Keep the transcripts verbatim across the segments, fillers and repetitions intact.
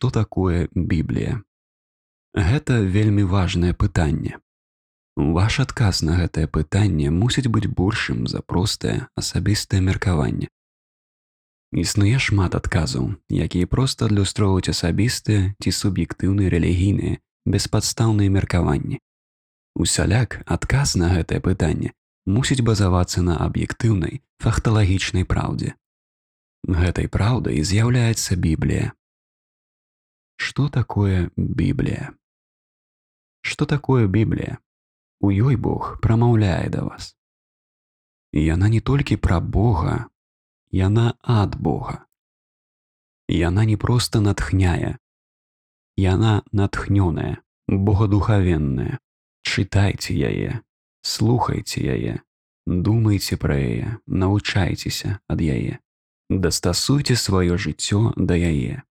Што такое Біблія? Гэта вельмі важнае пытанне. Ваш адказ на гэтае пытанне мусіць быць большым за простае асабістае меркаванне. Існуе шмат адказаў, якія проста адлюстроўваюць асабістыя ці суб'ектыўныя рэлігійныя беспадстаўныя меркаванні. Усяляк адказ на гэтае пытанне мусіць базавацца на аб'ектыўнай факталагічнай праўдзе. Гэтай праўдай з'яўляецца Біблія. Што такое Біблія? Што такое Біблія? У ёй Бог прамаўляе да вас. Яна не толькі пра Бога, яна ад Бога. Яна не проста натхняе, яна натхнёная, богодухавенная. Чытайце яе, слухайце яе, думайце пра яе, навучайцеся ад яе, дастасуйце сваё жыццё да яе.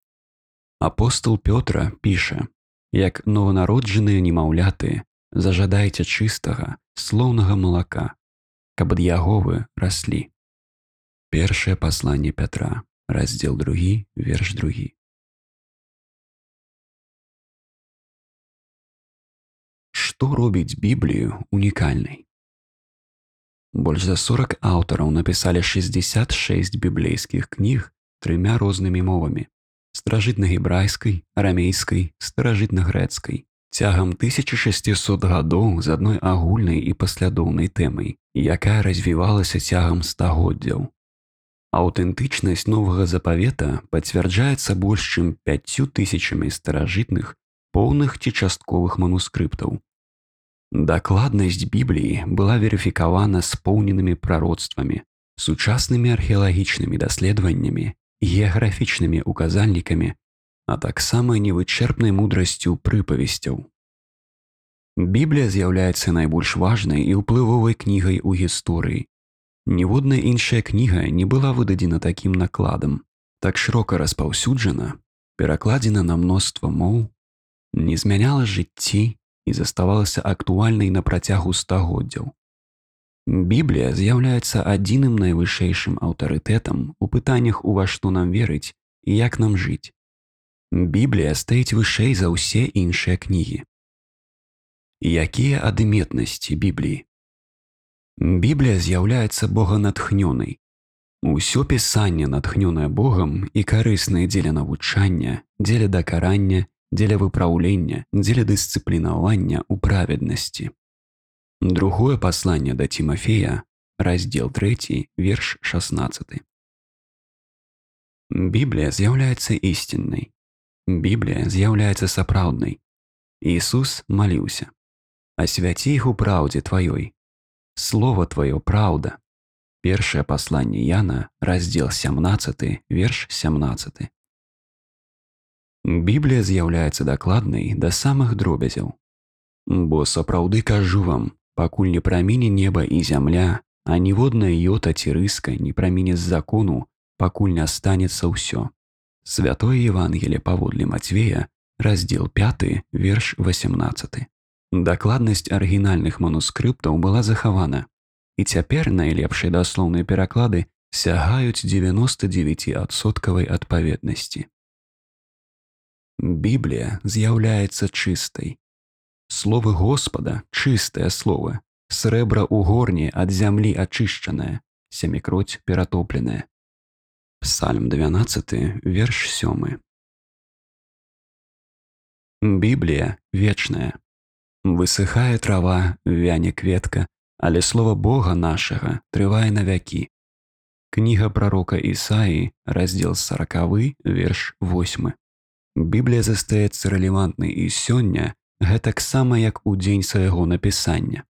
Апостол Пётра піша: як нованароджаныя немаўляты, зажадайце чыстага, слоўнага малака, каб ад яго вы раслі. Першае пасланне Пятра, раздзел другі, верш другі. Што робіць Біблію унікальнай? Больш за сорак аўтараў напісалі шэсцьдзесят шэсць біблейскіх кніг трымя рознымі мовамі: старажытнагебрайскай, арамейскай, старажытнагрэцкай, цягам тысячы шасцісот гадоў з адной агульнай і паслядоўнай тэмай, якая развівалася цягам стагоддзяў. Аўтэнтычнасць Новага Запавета пацвярджаецца больш чым пяццю тысячамі старажытных, поўных ці частковых манускрыптаў. Дакладнасць Бібліі была верыфікавана споўненымі прароцтвамі, сучаснымі археалагічнымі даследаваннямі, геаграфічнымі указальнікамі, а таксама невычэрпнай мудрасцю прыпавесцяў. Біблія з'яўляецца найбольш важнай і ўплывовай кнігай у гісторыі. Ніводная іншая кніга не была выдадзена такім накладам, так шырока распаўсюджана, перакладзена на мноства моў, не змяняла жыцці і заставалася актуальнай на працягу стагоддзяў. Біблія з'яўляецца адзіным найвышэйшым аўтарытэтам у пытаннях, у ва што нам верыць і як нам жыць. Біблія стаіць вышэй за ўсе іншыя кнігі. Якія адметнасці Бібліі? Біблія з'яўляецца боганатхнёнай. Усё пісанне натхнёнае Богам і карыснае дзеля навучання, дзеля дакарання, дзеля выпраўлення, дзеля дысцыплінавання ў праведнасці. Другое пасланне да Цімафея, раздзел трэці, верш шаснаццаты. Біблія з'яўляецца ісціннай. Біблія з'яўляецца сапраўднай. Ісус маліўся: «Асвяці іх у праўдзе тваёй. Слова тваё праўда». Першае пасланне Яна, раздзел сямнаццаты, верш сямнаццаты. Біблія з'яўляецца дакладнай да самых дробязяў. «Бо сапраўды кажу вам, пакуль не праміне неба і зямля, а ніводная йота ці рыска не праміне з закону, пакуль не станецца ўсё». Святое Евангелие паводле Мацвея, раздзел пяты, верш васямнаццаты. Дакладнасць арыгінальных манускрыптаў была захавана, і цяпер найлепшыя даслоўныя пераклады сягаюць дзевяноста дзевяці адсоткавай адпаведнасці. Біблія з'яўляецца чыстай. Словы Господа – чыстыя словы, срэбра ў горні ад зямлі ачышчанае, сямікроць ператопленае. Псальм дванаццаты, верш сёмы. Біблія вечная. Высыхае трава, вяне кветка, але слова Бога нашага трывае навякі. Кніга прарока Ісаі, раздзел саракавы, верш восьмы. Біблія застаецца рэлевантнай і сёння, гэтаксама як у дзень свайго напісання.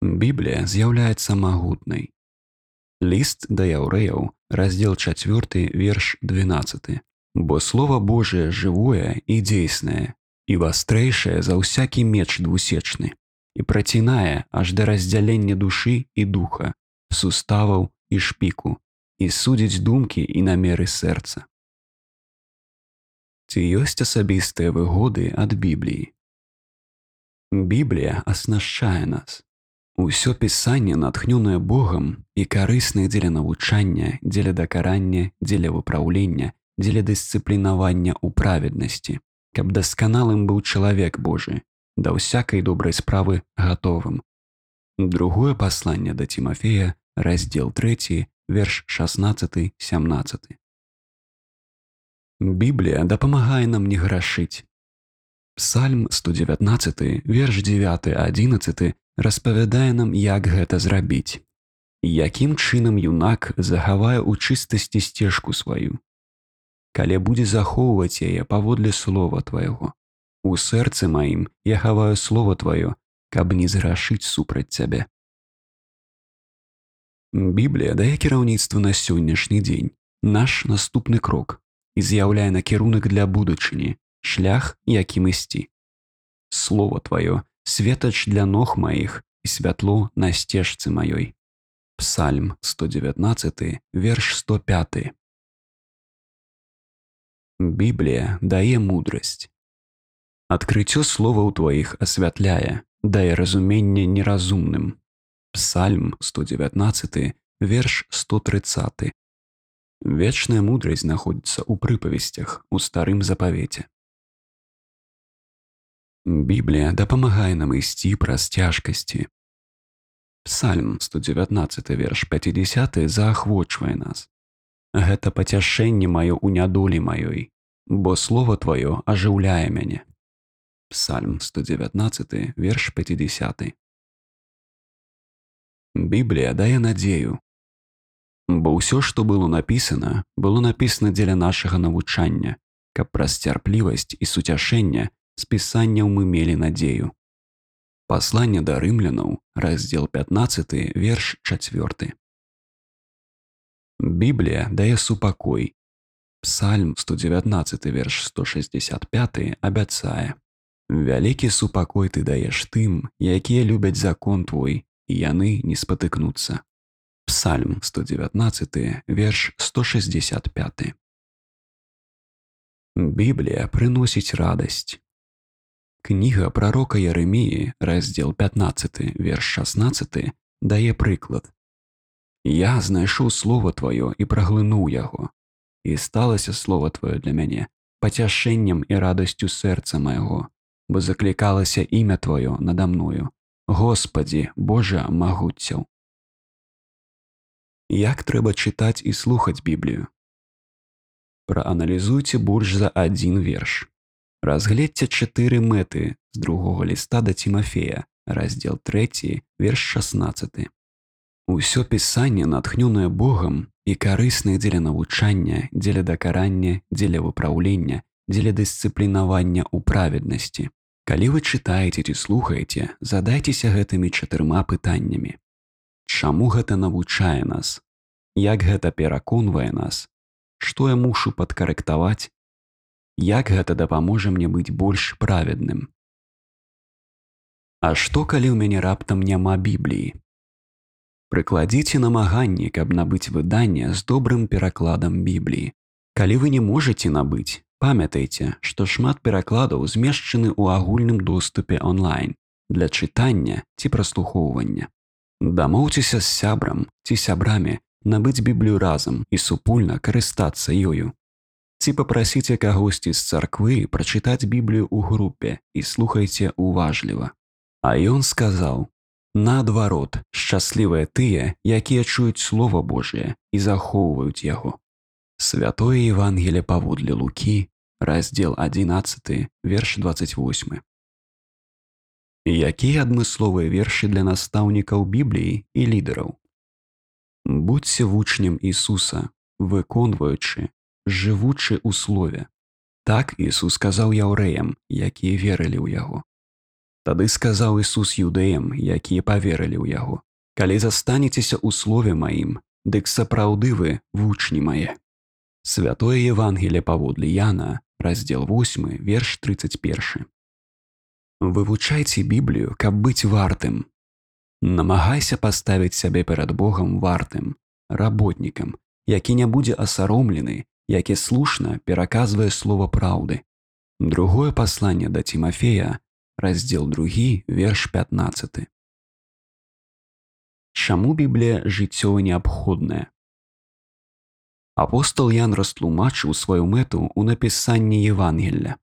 Біблія з'яўляецца магутнай. Ліст да яўрэяў, раздзел чацвёрты, верш дванаццаты. Бо Слова Божие жывое і дзейснае, і вастрэйшае за ўсякі меч двусечны, і працінае аж да раздзялення душы і духа, суставаў і шпіку, і судзіць думкі і намеры сэрца. Ці ёсць асабістыя выгоды ад Бібліі? Біблія аснашчае нас. Усё пісанне натхнёнае Богам і карыснае дзеля навучання, дзеля дакарання, дзеля выпраўлення, дзеля дысцыплінавання ў праведнасці, каб дасканалым быў чалавек Божы, да ўсякай добрай справы гатовым. Другое пасланне да Тимофея, раздзел трэці, верш шаснаццаты сямнаццаты. Біблія дапамагае нам не грашыць. Псальм сто дзевятнаццаты, верш дзевяты адзінаццаты распавядае нам, як гэта зрабіць. Якім чынам юнак захавае ў чыстасці сцежку сваю, калі будзе захоўваць яе паводле слова твайго. У сэрцы маім я хаваю слова тваё, каб не зграшыць супраць цябе. Біблія дае кіраўніцтва на сённяшні дзень, наш наступны крок, і з'яўляе накірунак для будучыні, шлях, якім ісці. Слова тваё – светач для ног маіх і святло на сцежцы маёй. Псальм сто дзевятнаццаты, верш сто пяты. Біблія дае мудрасць. Адкрыццё словаў тваіх асвятляе, дае разуменне неразумным. Псальм сто дзевятнаццаты, верш сто трыццаты. Вечная мудрасць знаходзіцца ў прыпавесцях у старым запавеце. Біблія дапамагае нам ісці праз цяжкасці. Псальм сто дзевятнаццаты, верш пяцідзясяты заахвочвае нас. Гэта пацяшэнне маё ў нядолі маёй, бо слова тваё ажыўляе мяне. Псальм сто дзевятнаццаты, верш пяцідзясяты. Біблія дае надзею. Бо ўсё, што было напісана, было напісана дзеля нашага навучання, каб праз цярплівасць і суцяшэнне з пісанняў мы мелі надзею. Пасланне да рымлянаў, раздзел пятнаццаты, верш чацвёрты. Біблія дае супакой. Псальм сто дзевятнаццаты, верш сто шэсцьдзесят пяты абяцае: «Вялікі супакой ты даеш тым, якія любяць закон твой, і яны не спатыкнуцца». Псальм сто дзевятнаццаты, верш сто шэсцьдзесят пяты. Біблія прыносіць радасць. Кніга прарока Єреміі, раздзел пятнаццаты, верш шаснаццаты, дае прыклад. «Я знайшоў слова тваё і праглынуў яго, і сталася слова тваё для мяне пацяшэннем і радасцю сэрца майго, бо заклікалася імя тваё нада мною, Господі, Божа магуццяў». Як трэба чытаць і слухаць Біблію? Прааналізуйце больш за адзін верш. Разгледзьце чатыры мэты з другога ліста да Тимофея, раздзел трэці, верш шаснаццаты. Усё пісанне натхнёнае Богам і карыснае дзеля навучання, дзеля дакарання, дзеля выпраўлення, дзеля дысцыплінавання ў праведнасці. Калі вы чытаеце ці слухаеце, задайцеся гэтымі чатырма пытаннямі. Чаму гэта навучае нас? Як гэта пераконвае нас? Што я мушу падкарэктаваць? Як гэта дапаможа мне быць больш праведным? А што, калі ў мяне раптам няма Бібліі? Прыкладзіце намаганні, каб набыць выданне з добрым перакладам Бібліі. Калі вы не можаце набыць, памятайце, што шмат перакладаў змешчаны ў агульным доступе онлайн для чытання ці праслухоўвання. Дамоўцеся з сябрам ці сябрамі набыць Біблію разам і супольна карыстацца ёю. Ці папрасіце кагосьці з царквы прачытаць Біблію ў групе і слухайце уважліва. А ён сказаў: «Наадварот, шчаслівыя тыя, якія чуюць Слова Божие і захоўваюць яго». Святое Евангелие паводле Лукі, раздзел адзінаццаты, верш дваццаць восьмы. Якія адмысловыя вершы для настаўнікаў Бібліі і лідараў? Будзьце вучнем Ісуса, выконваючы, жывучы ў слове. Так Ісус сказаў яўрэям, якія верылі ў яго. Тады сказаў Ісус юдэям, якія паверылі ў яго: «Калі застанецеся ў слове маім, дык сапраўды вы вучні мае». Святое Евангелие паводле Яна, раздзел восьмы, верш трыццаць першы. Вывучайце Біблію, каб быць вартым. Намагайся паставіць сябе перад Богам вартым, работнікам, які не будзе асаромлены, які слушна пераказвае слова праўды. Другое пасланне да Тимофея, раздзел другі, верш пятнаццаты. Чаму Біблія жыццёва неабходная? Апостол Ян растлумачыў сваю мэту ў напісанні Евангелля.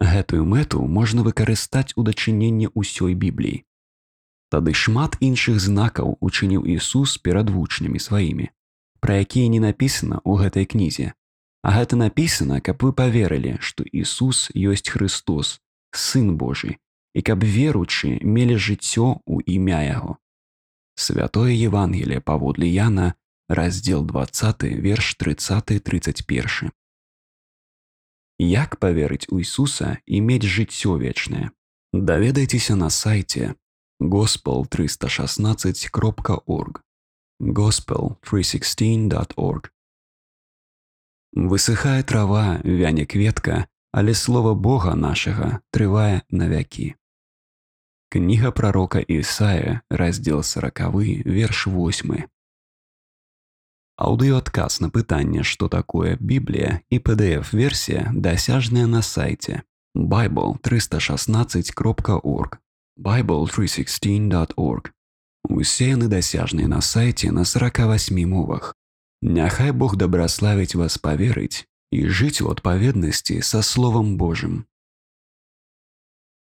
Гэтую мэту можна выкарыстаць у дачыненні ўсёй Бібліі. Тады шмат іншых знакаў учыніў Ісус перад вучнямі сваімі, пра якія не напісана ў гэтай кнізе. А гэта напісана, каб вы паверылі, што Ісус ёсць Христос, Сын Божы, і каб веруючы мелі жыццё ў імя Яго. Святое Евангелие паводле Яна, раздзел двадцаты, верш трыццаты трыццаць першы. Як паверыць у Ісуса і мець жыццё вечнае? Даведайцеся на сайце gospel триста шестнадцать кропка орг. gospel триста шестнадцать точка орг. Высыхае трава, вяне кветка, але слова Бога нашага трывае навякі. Кніга прарока Ісая, раздзел сорокавы, верш восьмы. Аўдыёадказ на пытанне, што такое Біблія, і пі ді эф-версія дасяжная на сайце bible триста шестнадцать кропка орг. bible триста шестнадцать точка орг. Усе яны дасяжныя на сайце на сорока восьми мовах. Няхай Бог дабраславіць вас паверыць і жыць у адпаведнасці са Словам Божым.